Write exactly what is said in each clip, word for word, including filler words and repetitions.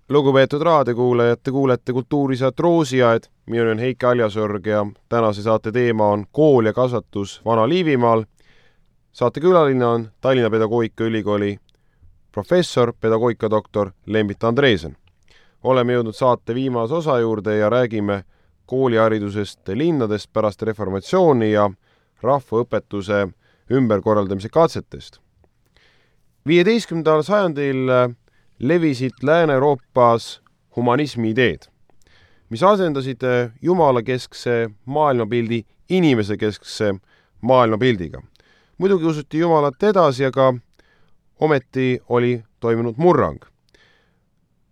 Lugupeetud raadiokuulajad, te kuulete kultuurisaat Roosiaed. Minu on Heike Aljasorg ja tänase saate teema on kool ja kasvatus Vana-Liivimaal. Saate külaline on Tallinna Pedagoogikaülikooli professor, pedagoogikadoktor Lembit Andreesen. Oleme jõudnud saate viimase osa juurde ja räägime kooliharidusest linnades pärast reformatsiooni ja rahvaõpetuse ümberkorraldamise katsetest. viieteistkümnendal sajandil levisid Lääne-Euroopas humanismi ideed, mis asendasid jumalakeskse maailmapildi inimesekeskse maailmapildiga. Muidugi usuti Jumalat edasi, aga ometi oli toimunud murrang.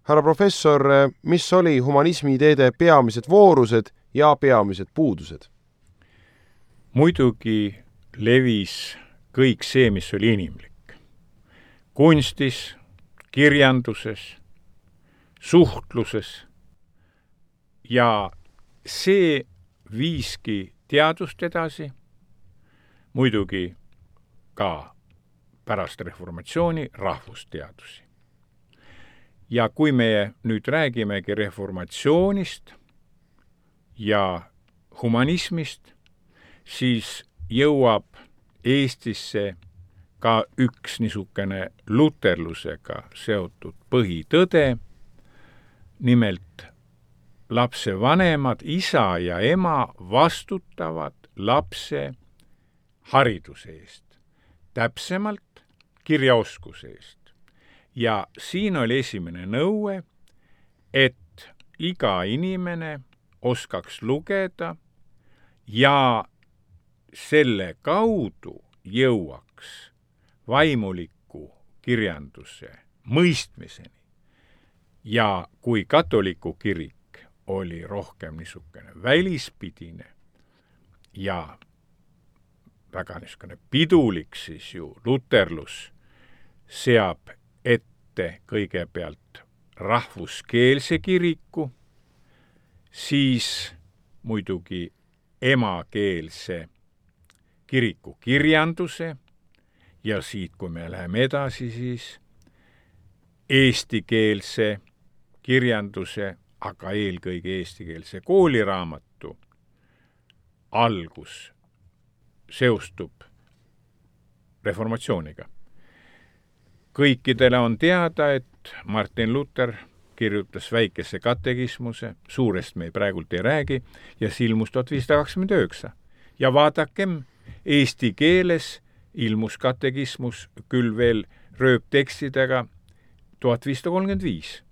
Härra professor, mis oli humanismi ideede peamised voorused ja peamised puudused? Muidugi levis kõik see, mis oli inimlik. Kunstis, kirjanduses, suhtluses ja see viiski teadust edasi, muidugi ka pärast reformatsiooni rahvusteadusi. Ja kui me nüüd räägimegi reformatsioonist ja humanismist, siis jõuab Eestisse ka üks niisugune luterlusega seotud põhitõde, nimelt lapse vanemad, isa ja ema vastutavad lapse hariduse eest, täpsemalt kirjaoskuse eest. Ja siin oli esimene nõue, et iga inimene oskaks lugeda ja selle kaudu jõuaks vaimuliku kirjanduse mõistmiseni. Ja kui katoliku kirik oli rohkem niisugune välispidine ja väga niisugune pidulik, siis ju luterlus seab ette kõigepealt rahvuskeelse kiriku, siis muidugi emakeelse kiriku kirjanduse ja siit, kui me läheme edasi, siis eestikeelse kirjanduse, aga eelkõige eestikeelse kooliraamatu algus seostub reformatsiooniga. Kõikidele on teada, et Martin Luther kirjutas väikese katekismuse, suurest me praegult ei räägi, ja see ilmus tuhat viissada kakskümmend üheksa. Ja vaadakem, eesti keeles ilmus katekismus küll veel rööptekstidega tuhat viissada kolmkümmend viis.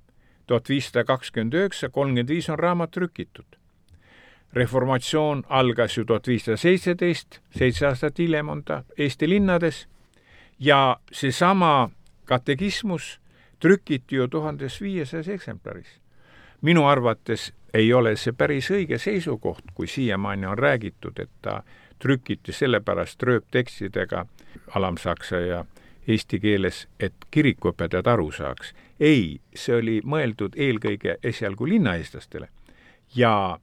tuhat viissada kakskümmend üheksa, kolmkümmend viis on raamat trükitud. Reformatsioon algas ju tuhat viissada seitseteist, seitse aastat hiljem on ta Eesti linnades ja seesama katekismus trükiti ju tuhandes viiesajas eksemplaris. Minu arvates ei ole see päris õige seisukoht, kui siiamaani on räägitud, et ta trükiti sellepärast rööptekstidega alamsaksa ja eesti keeles, et kirikuõpetajad aru saaks. Ei, see oli mõeldud eelkõige esialgu linnaeestlastele. Ja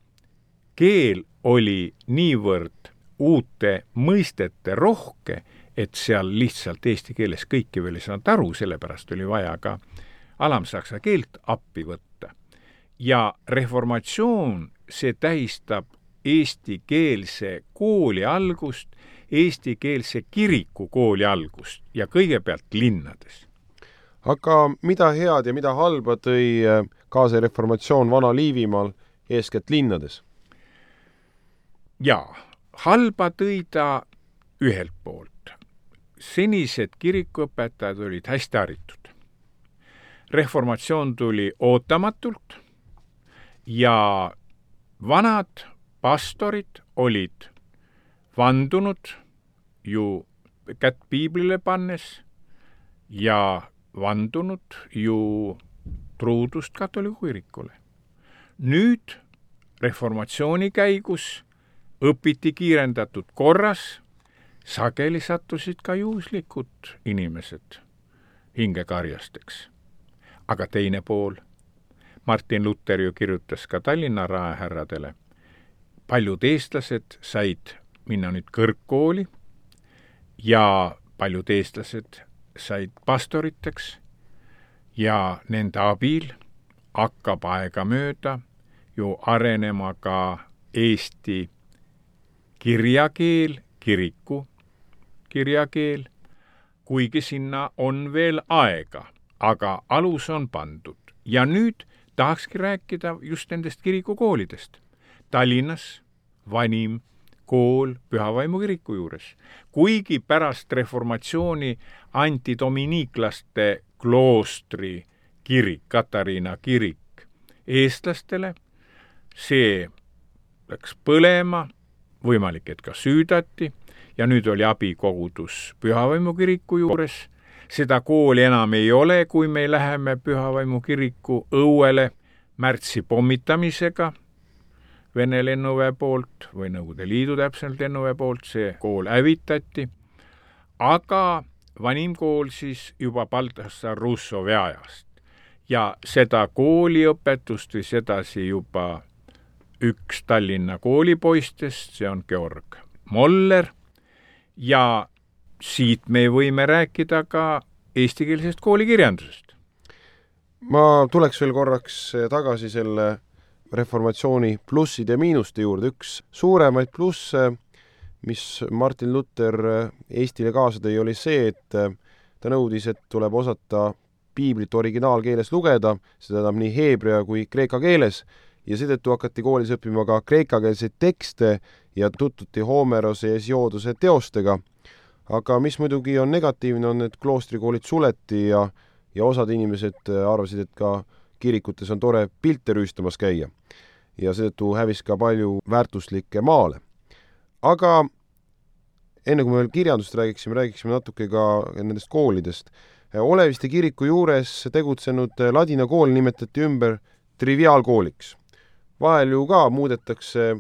keel oli niivõrd uute mõistete rohke, et seal lihtsalt eesti keeles kõiki veel ei saanud aru, sellepärast oli vaja ka alamsaksa keelt appi võtta. Ja reformatsioon, see tähistab eestikeelse kooli algust, eestikeelse kiriku kooli algust ja kõigepealt linnades. Aga mida head ja mida halba tõi kaasa reformatsioon Vana-Liivimaal eeskätt linnades? Jaa, halba tõi ta ühelt poolt. Senised kirikuõpetajad olid hästi haritud. Reformatsioon tuli ootamatult ja vanad pastorid olid vandunud ju kätt piiblile pannes ja vandunud ju truudust katoliku kirikule. Nüüd reformatsiooni käigus õpiti kiirendatud korras, sageli sattusid ka juhuslikud inimesed hingekarjasteks. Aga teine pool, Martin Luther ju kirjutas ka Tallinna raehärradele. Paljud eestlased said minna nüüd kõrgkooli ja paljud eestlased said pastoriteks ja nende abil hakkab aega mööda ju arenema ka eesti kirjakeel, kiriku kirjakeel, kuigi sinna on veel aega, aga alus on pandud. Ja nüüd tahakski rääkida just nendest kirikukoolidest. Tallinnas vanim kool Pühavaimu kiriku juures. Kuigi pärast reformatsiooni anti dominiiklaste kloostri kirik, Katariina kirik eestlastele, see läks põlema, võimalik, et ka süüdati, ja nüüd oli abikogudus Pühavaimu kiriku juures. Seda kooli enam ei ole, kui me läheme Pühavaimu kiriku õuele märtsi pommitamisega Vene lennuväe poolt või Nõukogude Liidu täpselt lennuväe poolt, see kool hävitati, aga vanim kool siis juba Baltasaar Russovi ajast. Ja seda kooliõpetust või sedasi juba üks Tallinna koolipoistest, see on Georg Moller, ja siit me võime rääkida ka eestikeelsest koolikirjandusest. Ma tuleks veel korraks tagasi selle reformatsiooni plusside ja miinuste juurde. Üks suuremaid plusse, mis Martin Luther Eestile kaasa tõi, oli see, et ta nõudis, et tuleb osata piiblit originaalkeeles lugeda, seda tähendab nii heebrea kui kreeka keeles, ja seetõttu hakati koolis õppima ka kreekakeelseid tekste ja tutvuti Homerose ja Hesiodose teostega. Aga mis muidugi on negatiivne, on, et kloostrikoolid suleti ja, ja osad inimesed arvasid, et ka kirikutes on tore pilte rüüstamas käia. Ja seetõttu hävis ka palju väärtuslikke maale. Aga enne kui me veel kirjandust räägiksime, räägiksime natuke ka nendest koolidest. Oleviste kiriku juures tegutsenud ladina kool nimetati ümber triviaalkooliks. Vahel ju ka muudetakse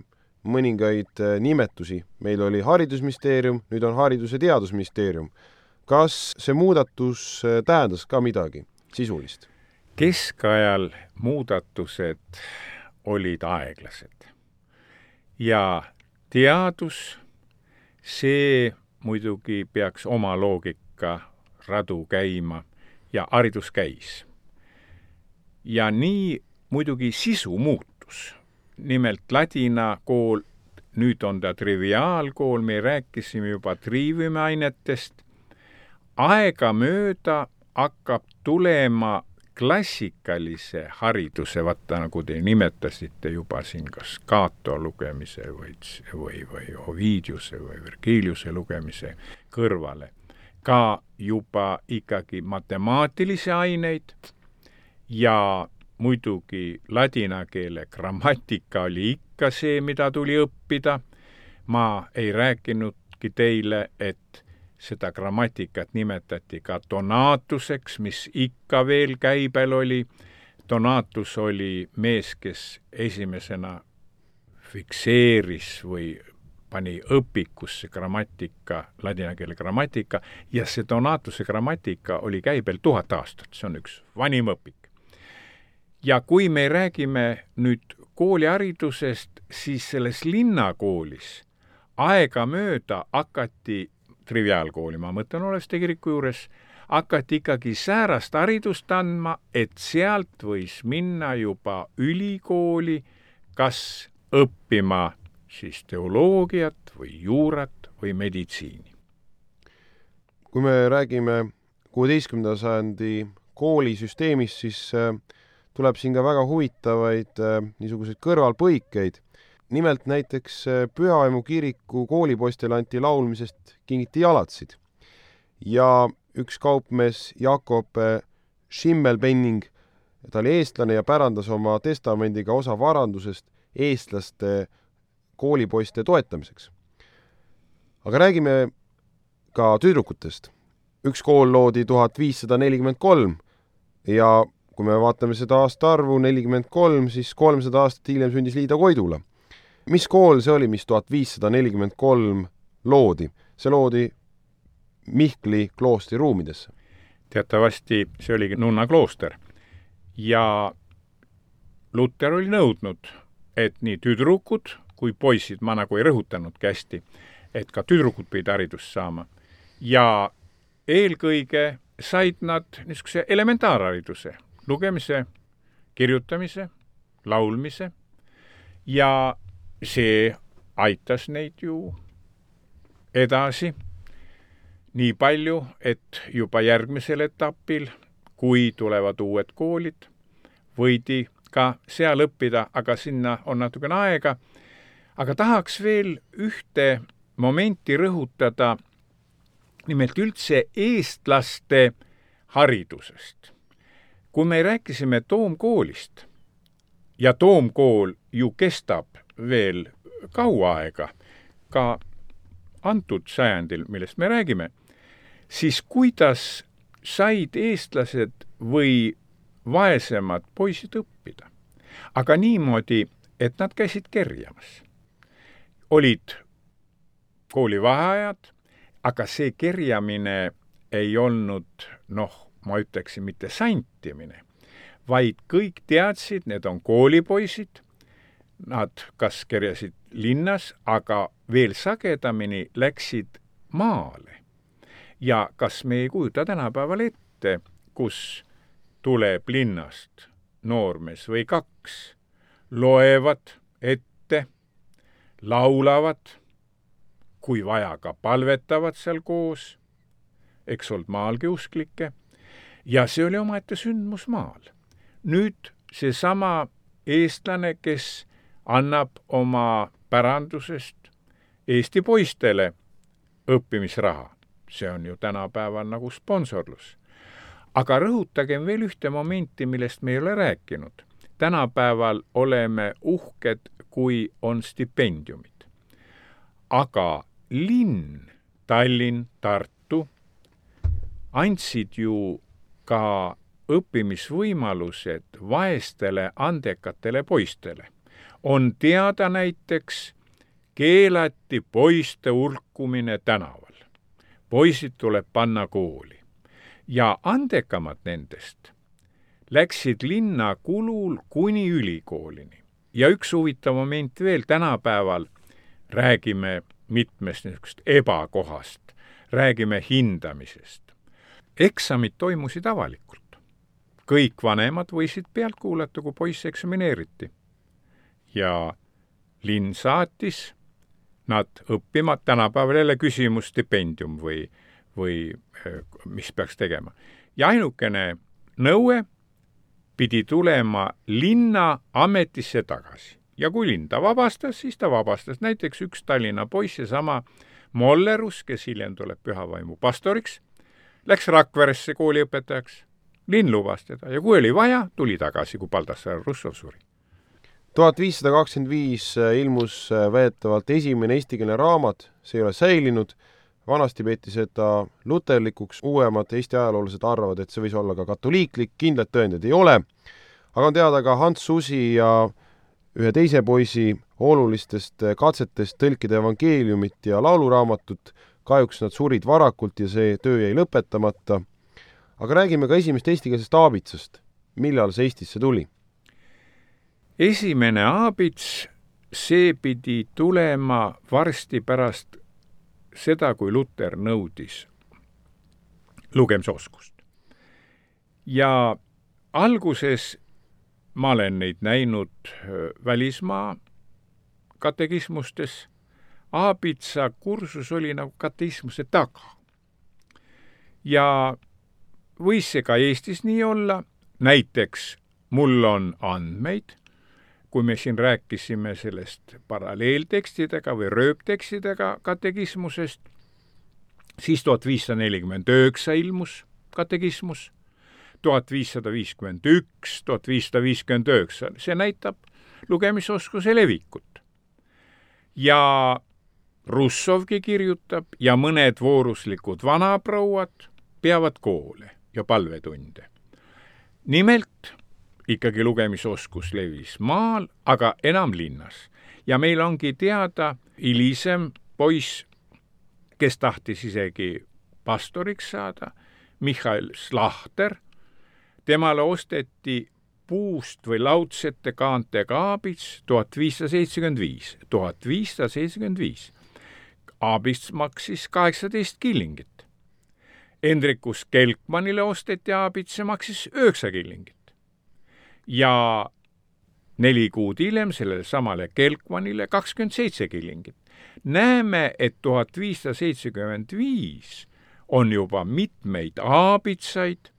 mõningaid nimetusi. Meil oli haridusministeerium, nüüd on haridus- ja teadusministeerium. Kas see muudatus tähendas ka midagi sisulist? Keskajal muudatused olid aeglased. Ja teadus, see muidugi peaks oma loogika radu käima ja haridus käis. Ja nii muidugi sisu muutus. Nimelt ladina kool, nüüd on ta triviaalkool, me rääkisime juba triiviumiainetest. Aega mööda hakkab tulema klassikalise hariduse, vaata nagu te nimetasite juba siin kas Cato lugemise või, või, või Ovidiuse või Virgiliuse lugemise kõrvale. Ka juba ikkagi matemaatilisi aineid ja muidugi ladina keele grammatika oli ikka see, mida tuli õppida. Ma ei rääkinudki teile, et seda grammatikat nimetati ka Donatuseks, mis ikka veel käibel oli. Donatus oli mees, kes esimesena fikseeris või pani õpikusse grammatika, ladina keele grammatika, ja see Donatuse grammatika oli käibel tuhat aastat. See on üks vanim õpik. Ja kui me räägime nüüd kooliharidusest, siis selles linnakoolis aega mööda hakati triviaalkooli, ma mõtlen Oleviste kiriku juures, hakati ikkagi säärast haridust andma, et sealt võis minna juba ülikooli, kas õppima siis teoloogiat või juurat või meditsiini. Kui me räägime kuueteistkümnenda sajandi koolisüsteemist, siis tuleb siin ka väga huvitavaid niisuguseid kõrvalpõikeid. Nimelt näiteks Pühavaimu kiriku koolipoistele anti laulmisest kingiti jalatsid. Ja üks kaupmees Jakob Schimmelpenning, ta oli eestlane ja pärandas oma testamendiga osa varandusest eestlaste koolipoiste toetamiseks. Aga räägime ka tüdrukutest. Üks kool loodi tuhat viissada nelikümmend kolm ja kui me vaatame seda aasta arvu nelikümmend kolm, siis kolmsada aastat hiljem sündis Liida Koidula. Mis kool see oli, mis tuhat viissada nelikümmend kolm loodi? See loodi Mihkli kloostri ruumidesse. Teatavasti see oli nunna klooster. Ja Luther oli nõudnud, et nii tüdrukud kui poisid, ma nagu ei rõhutanud kästi, et ka tüdrukud pidid haridust saama. Ja eelkõige said nad niisuguse elementaarhariduse, lugemise, kirjutamise, laulmise ja see aitas neid ju edasi nii palju, et juba järgmisel etapil, kui tulevad uued koolid, võidi ka seal õppida, aga sinna on natukene aega. Aga tahaks veel ühte momenti rõhutada, nimelt üldse eestlaste haridusest. Kui me rääkisime Toomkoolist, ja Toomkool ju kestab veel kaua aega, ka antud sajandil, millest me räägime, siis kuidas said eestlased või vaesemad poisid õppida? Aga niimoodi, et nad käisid kerjamas. Olid koolivaheajad, aga see kerjamine ei olnud, noh, ma ütleksin, mitte santimine, vaid kõik teadsid, need on koolipoisid, nad kas kerjasid linnas, aga veel sagedamini läksid maale. Ja kas me ei kujuta tänapäeval ette, kus tuleb linnast noormees või kaks, loevad ette, laulavad, kui vaja ka palvetavad seal koos, eks olnud maalgi usklikke, ja see oli omaette sündmus maal. Nüüd seesama eestlane, kes annab oma pärandusest Eesti poistele õppimisraha. See on ju tänapäeval nagu sponsorlus. Aga rõhutagem veel ühte momenti, millest me ei ole rääkinud. Tänapäeval oleme uhked, kui on stipendiumid. Aga linn, Tallinn, Tartu andsid ju ka õppimisvõimalused vaestele andekatele poistele. On teada näiteks, keelati poiste urkumine tänaval. Poisid tuleb panna kooli. Ja andekamad nendest läksid linna kulul kuni ülikoolini. Ja üks huvitav moment veel, tänapäeval räägime mitmest niisugust ebakohast, räägime hindamisest. Eksamid toimusid avalikult. Kõik vanemad võisid pealt kuulata, kui poiss eksamineeriti. Ja linn saatis nad õppima, tänapäeval jälle küsimus stipendium või, või mis peaks tegema. Ja ainukene nõue pidi tulema linna ametisse tagasi. Ja kui linn ta vabastas, siis ta vabastas. Näiteks üks Tallinna poiss, sama Mollerus, kes hiljem tuleb Pühavaimu pastoriks, läks Rakveresse kooliõpetajaks. Linn lubas teda ja kui oli vaja, tuli tagasi, kui Baldassar Russov suri. tuhat viissada kakskümmend viis ilmus väidetavalt esimene eestikeelne raamat, see ei ole säilinud. Vanasti peeti seda luterlikuks, uuemad Eesti ajaloolased arvavad, et see võis olla ka katoliiklik, kindlad tõendid ei ole. Aga on teada ka Hans Susi ja ühe teise poisi olulistest katsetest tõlkida evangeeliumit ja lauluraamatut. Kahjuks nad surid varakult ja see töö jäi lõpetamata. Aga räägime ka esimest eestikeelsest aabitsast. Millal see Eestisse tuli? Esimene aabits, see pidi tulema varsti pärast seda, kui Luter nõudis lugemisoskust. Ja alguses ma olen neid näinud välismaa katekismustes. Aabitsa kursus oli nagu katekismuse taga. Ja võis see ka Eestis nii olla. Näiteks mul on andmeid, kui me siin rääkisime sellest paralleeltekstidega või rööptekstidega katekismusest, siis tuhat viissada nelikümmend üheksa ilmus katekismus, tuhat viissada viiskümmend üks, tuhat viissada viiskümmend üheksa. See näitab lugemisoskuse levikut. Ja Russovgi kirjutab ja mõned vooruslikud vanaprouad peavad koole ja palvetunde. Nimelt ikkagi lugemisoskus levis maal, aga enam linnas. Ja meil ongi teada hilisem poiss, kes tahtis isegi pastoriks saada, Michael Slahter. Temale osteti puust või laudsete kaantega aabits tuhat viissada seitsekümmend viis. tuhat viissada seitsekümmend viis. Aabits maksis kaheksateist killingit. Hendrikus Kelkmanile osteti aabits, see maksis üheksa killingit. ja neli kuud hiljem sellele samale Kelkmanile kakskümmend seitse kilingit. Näeme, et tuhat viissada seitsekümmend viis on juba mitmeid aabitsaid,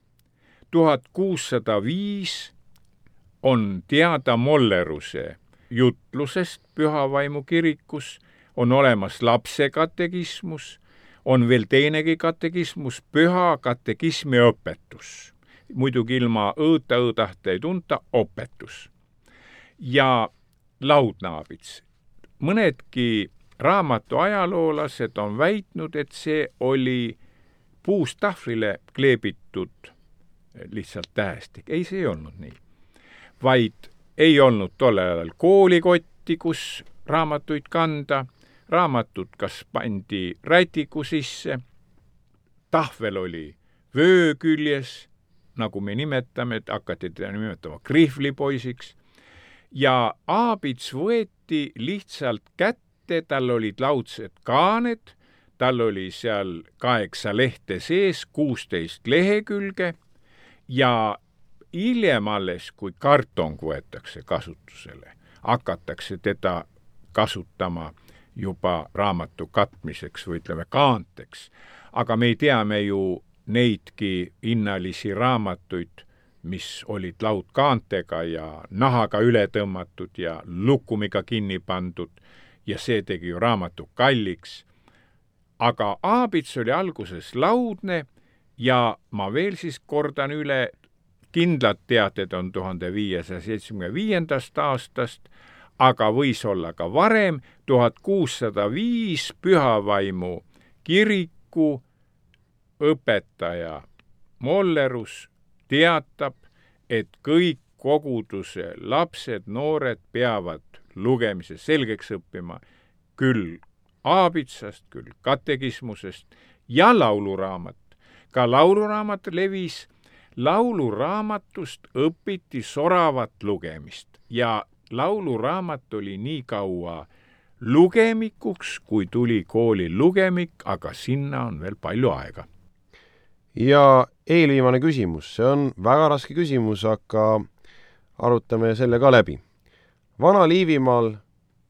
tuhat kuussada viis on teada Molleruse jutlusest Pühavaimu kirikus, on olemas lapse katekismus, on veel teinegi katekismus, püha katekismi õpetus. Muidugi ilma õõta õõdahte ei tunta õpetus. Ja laudnaabits. Mõnedki raamatu ajaloolased on väitnud, et see oli puust tahvlile kleebitud lihtsalt tähestik. Ei, see ei olnud nii. Vaid ei olnud tollel ajal koolikotti, kus raamatuid kanda. Raamatud kas pandi rätiku sisse, tahvel oli vöö küljes, nagu me nimetame, et hakati teda nimetama krihvlipoisiks, ja aabits võeti lihtsalt kätte, tal olid laudsed kaaned, tal oli seal kaheksa lehte sees, kuusteist lehekülge, ja hiljem alles, kui kartong võetakse kasutusele, hakatakse teda kasutama juba raamatu katmiseks või ütleme kaanteks. Aga me teame ju neidki hinnalisi raamatuid, mis olid laudkaantega ja nahaga üle tõmmatud ja lukumiga kinni pandud ja see tegi ju raamatu kalliks. Aga aabits oli alguses laudne ja ma veel siis kordan üle, kindlad teated on tuhande viiesaja seitsmekümne viiendast aastast, aga võis olla ka varem, tuhat kuussada viis Pühavaimu kiriku õpetaja Mollerus teatab, et kõik koguduse lapsed, noored peavad lugemise selgeks õppima küll aabitsast, küll katekismusest ja lauluraamat. Ka lauluraamat levis, lauluraamatust õpiti soravat lugemist ja lauluraamat oli nii kaua lugemikuks, kui tuli kooli lugemik, aga sinna on veel palju aega. Ja eelviimane küsimus, see on väga raske küsimus, aga arutame selle ka läbi. Vana-Liivimaal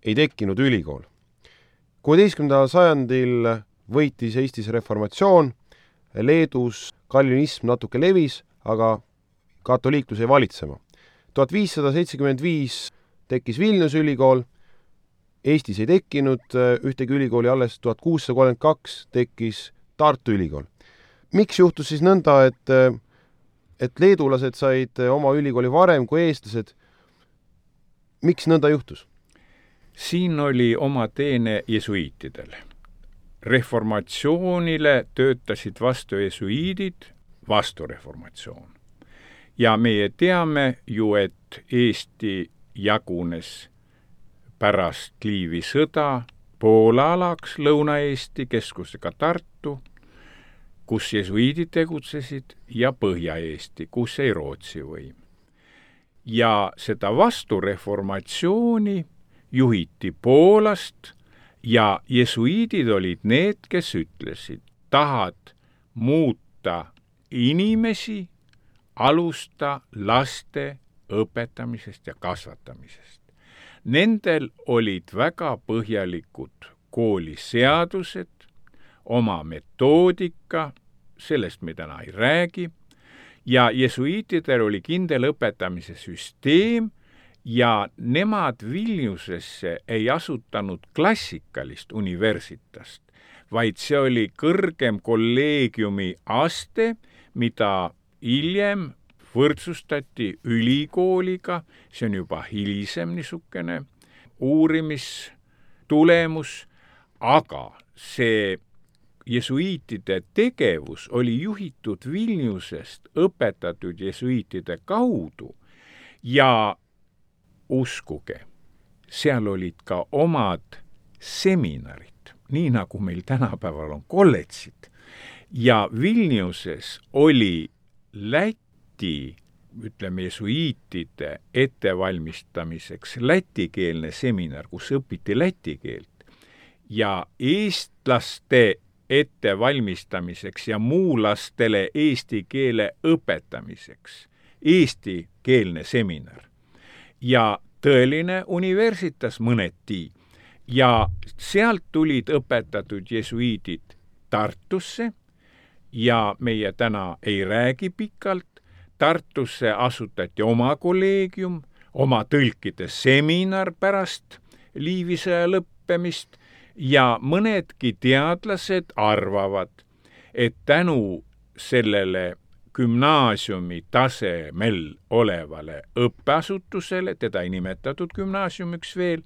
ei tekkinud ülikool. kuueteistkümnendal sajandil võitis Eestis reformatsioon, Leedus kalvinism natuke levis, aga katoliiklus ei valitsema. tuhat viissada seitsekümmend viis tekkis Vilniuse ülikool, Eestis ei tekkinud ühtegi ülikooli, alles tuhat kuussada kolmkümmend kaks tekkis Tartu ülikool. Miks juhtus siis nõnda, et, et leedulased said oma ülikooli varem kui eestlased? Miks nõnda juhtus? Siin oli oma teene jesuiitidel. Reformatsioonile töötasid vastu jesuiidid, vastu reformatsioon. Ja meie teame ju, et Eesti jagunes pärast Liivi sõda Poola alaks, Lõuna-Eesti, keskusega Tartu, kus jesuiidid tegutsesid, ja Põhja-Eesti, kus ei Rootsi võim. Ja seda vastureformatsiooni juhiti Poolast ja jesuiidid olid need, kes ütlesid, tahad muuta inimesi, alusta laste õpetamisest ja kasvatamisest. Nendel olid väga põhjalikud kooliseadused, oma metoodika, sellest me täna ei räägi, ja jesuiitidel oli kindel õpetamise süsteem ja nemad Vilniusesse ei asutanud klassikalist universitast, vaid see oli kõrgem kolleegiumi aste, mida hiljem võrdsustati ülikooliga, see on juba hilisem niisugune uurimistulemus, aga see jesuiitide tegevus oli juhitud Vilniusest õpetatud jesuiitide kaudu ja uskuge, seal olid ka omad seminarid, nii nagu meil tänapäeval on kolledžid. Ja Vilniuses oli Läti, ütleme, jesuiitide ettevalmistamiseks lätikeelne seminar, kus õpiti läti keelt, ja eestlaste ettevalmistamiseks ja muulastele eesti keele õpetamiseks eestikeelne seminar ja tõeline universitas mõneti ja sealt tulid õpetatud jesuiidid Tartusse ja meie täna ei räägi pikalt. Tartusse asutati oma kolleegium, oma tõlkide seminar pärast Liivisõja lõppemist ja mõnedki teadlased arvavad, et tänu sellele gümnaasiumi tasemel olevale õppeasutusele, teda ei nimetatud gümnaasiumiks veel,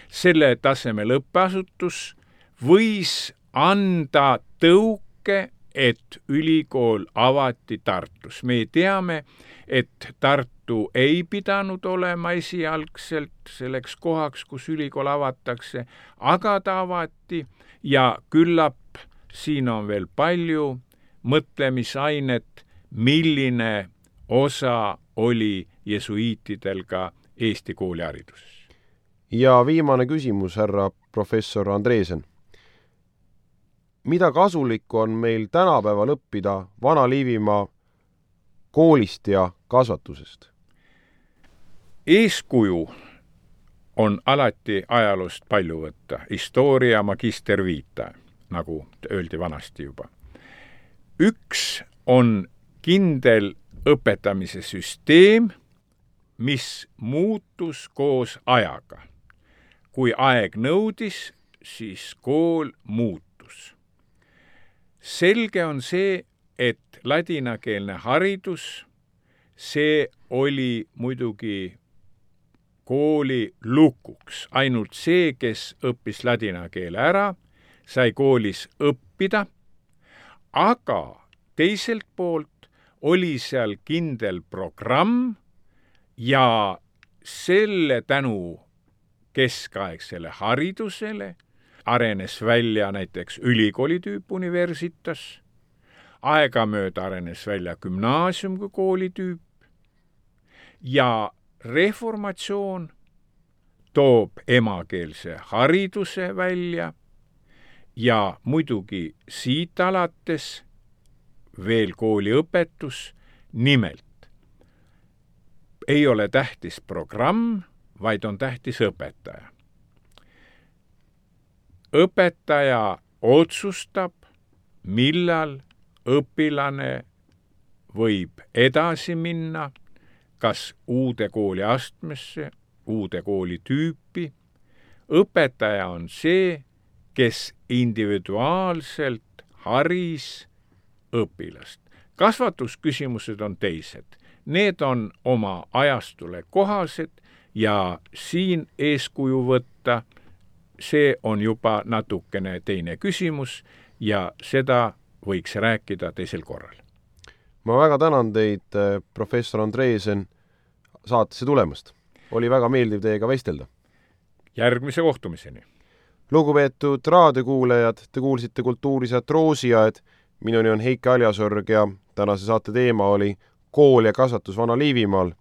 selle tasemel õppeasutus võis anda tõuke, et ülikool avati Tartus. Me teame, et Tartu ei pidanud olema esialgselt selleks kohaks, kus ülikool avatakse, aga ta avati ja küllap siin on veel palju mõtlemisainet, milline osa oli jesuiitidel ka Eesti koolihariduses. Ja viimane küsimus, härra professor Andresen. Mida kasulikku on meil tänapäeval õppida Vana-Liivimaa koolist ja kasvatusest? Eeskuju on alati ajaloost palju võtta. Historia magister vita, nagu öeldi vanasti juba. Üks on kindel õpetamise süsteem, mis muutus koos ajaga. Kui aeg nõudis, siis kool muutus. Selge on see, et ladinakeelne haridus, see oli muidugi kooli lukuks. Ainult see, kes õppis ladina keele ära, sai koolis õppida, aga teiselt poolt oli seal kindel programm ja selle tänu keskaegsele haridusele arenes välja näiteks ülikooli tüüp universitas, aegamööda arenes välja gümnaasium kui kooli tüüp ja reformatsioon toob emakeelse hariduse välja ja muidugi siit alates veel kooliõpetus, nimelt ei ole tähtis programm, vaid on tähtis õpetaja. Õpetaja otsustab, millal õpilane võib edasi minna, kas uude kooli astmesse, uude kooli tüüpi. Õpetaja on see, kes individuaalselt haris õpilast. Kasvatusküsimused on teised. Need on oma ajastule kohased ja siin eeskuju võtta, see on juba natukene teine küsimus ja seda võiks rääkida teisel korral. Ma väga tänan teid, professor Andresen, saatesse tulemast. Oli väga meeldiv teiega vestelda. Järgmise kohtumiseni. Lugupeetud raadiokuulajad, te kuulsite Kultuurisaat Roosiaed. Minuni on Heiki Aljasorg ja tänase saate teema oli kool ja kasvatus Vana-Liivimaal.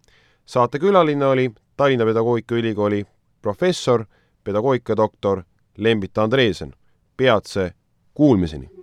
Saate külaline oli Tallinna Pedagoogikaülikooli professor, pedagoogikadoktor Lembita Andresen. Peatse kuulmiseni!